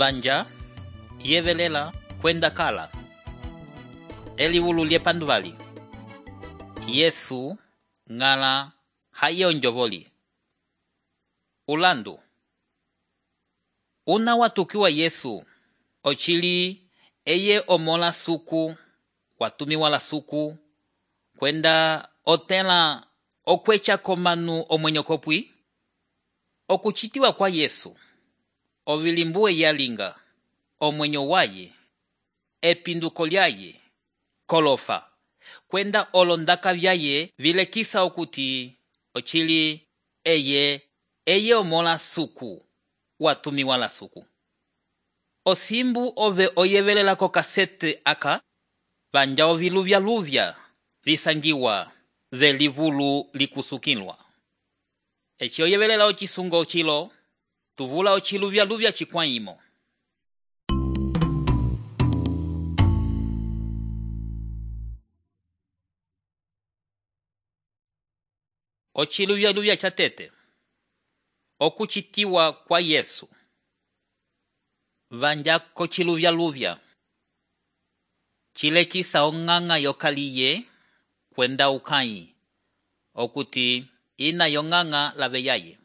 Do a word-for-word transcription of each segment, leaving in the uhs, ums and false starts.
vanja yevelela kwenda kala eliwulu lyepanduvali. Yesu ng'ala haye onjovoli. Ulandu. Una watukiwa Yesu ochili eye omola suku watumiwa la suku kwenda otela okwecha komanu omwenyokopwi. Okuchitiwa kwa Yesu ovilimbuwe yalinga omwenyo waye epinduko lyaye kolofa kwenda olondaka vyaye vilekisa okuti ochili eye eye omola suku watumiwa la suku. Osimbu ove oyevelela ko kasete aka vanja oviluvya luvya visangiwa velivulu likusukilwa. Echi oyevelela ochisungo ochilo tuvula ochiluvya luvya chikwaimo. Ochiluvya luvya chatete okuchitiwa kwa Yesu vanja kochiluvya luvya chilekisa ong'ang'a yokaliye kwenda ukai okuti ina yong'ang'a lave yaye.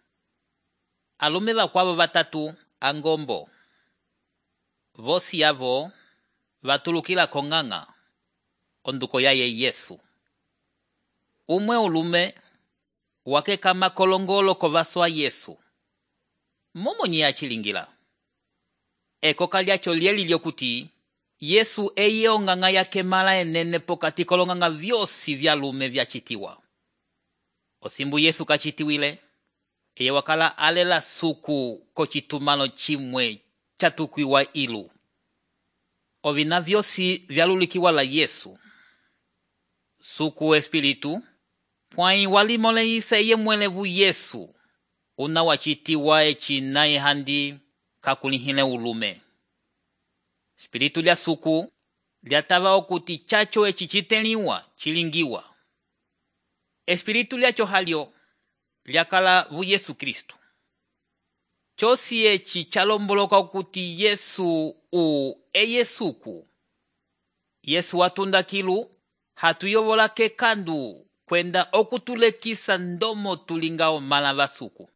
Alume vakwavo vatatu angombo vosi yavo vatulukila kong'ang'a onduko yaye Yesu. Umwe ulume wake kama kolongolo kovaswa Yesu. Momo ni achilingila. Eko kalyacho lieli lyokuti Yesu eye ong'ang'a yake mala enene pokati kolong'ang'a vyosi vya lume vyachitiwa. Osimbu Yesu kachitiwile eye wakala alela suku kochitumalo chimwe chatukwiwa ilu. Ovina vyosi vyalulikiwa la Yesu. Suku espiritu pwai walimole ise ye mwelevu Yesu una wachitiwa echina ehandi kakulihile ulume. Espiritu lya suku lyatava okuti chacho echichiteliwa chilingiwa. Espiritu lyacho halyo lyakala vu Yesu Kristu. Chosi echi chalomboloka okuti Yesu u eye suku. Yesu watunda kilu hatuyovola kekandu kwenda okutulekisa ndomo tulingao mala vasuku.